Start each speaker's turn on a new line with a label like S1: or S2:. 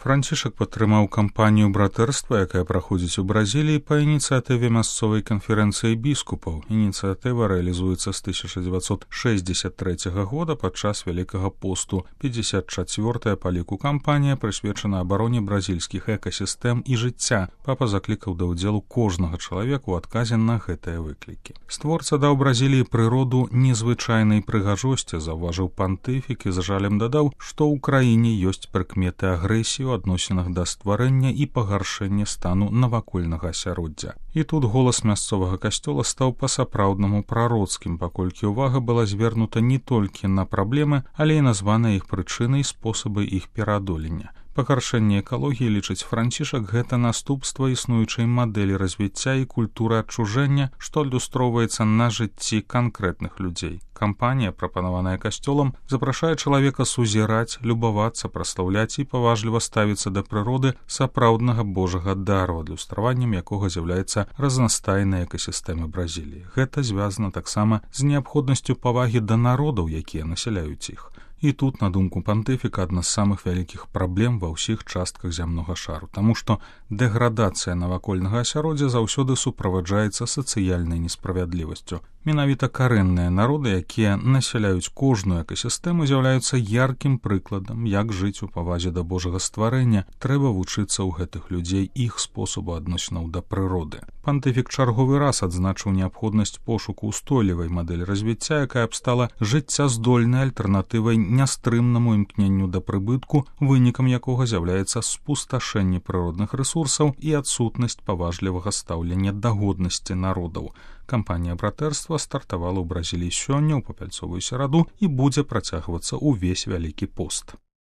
S1: Францішак падтрымаў кампанію братэрства, якая праходзіць у Бразіліі па ініцыятыве мясцовай канферэнцыі біскупаў. Ініцыятыва рэалізуецца з 1963 года падчас Вялікага посту. 54-я па ліку кампанія прысвечана абароне бразільскіх экасістэм і жыцця. Папа заклікаў да ўдзелу кожнага чалавека ў адказе на гэтыя выклікі. Створца даў Бразіліі прыроду незвычайнай прыгажосці, заўважыў пантыфік і з жалем дадаў, што ў краіне ёсць прыкметы агрэсіі ў адносінах да стварэння і пагаршэння стану навакольнага асяроддзя. І тут голас мясцовага касцёла стаў па-сапраўднаму прароцкім, паколькі ўвага была звернута не толькі на праблемы, але і названыя іх прычыны і спосабы іх пераадолення. Пагаршэнне экалогіі, лічыць Францішак, гэта наступства існуючай мадэлі развіцця і культуры адчужэння, што адлюстроўваецца на жыцці канкрэтных людзей. Кампанія, прапанаваная касцёлам, запрашае чалавека сузіраць, любавацца, праслаўляць і паважліва ставіцца да прыроды сапраўднага божага дару, адлюстраваннем якога з'яўляецца разнастайныя экасістэмы Бразіліі. Гэта звязана таксама з неабходнасцю павагі да народаў, якія насяляюць іх. І тут, на думку пантыфіка, адна з самых вялікіх праблем ва ўсіх частках зямнога шару, таму што дэградацыя навакольнага асяроддзя заўсёды суправаджаецца сацыяльнай несправядлівасцю. Менавіта карэнныя народы, якія насяляюць кожную экасістэму, з'яўляюцца яркім прыкладам, як жыць у павазе да божага стварэння. Трэба вучыцца ў гэтых людзей іх спосабу адносінаў да прыроды. Пантыфік чарговы раз адзначыў неабходнасць пошуку ўстойлівай мадэлі развіцця, якая б стала жыццяздольнай альтэрнатывай нястрымнаму імкненню да прыбытку, вынікам якога з'яўляецца спусташэнне прыродных рэсурсаў і адсутнасць паважлівага стаўлення да годнасці народаў. Кампанія братэрства стартавала ў Бразіліі сёння ў папяльцовую сераду і будзе працягвацца ўвесь Вялікі пост.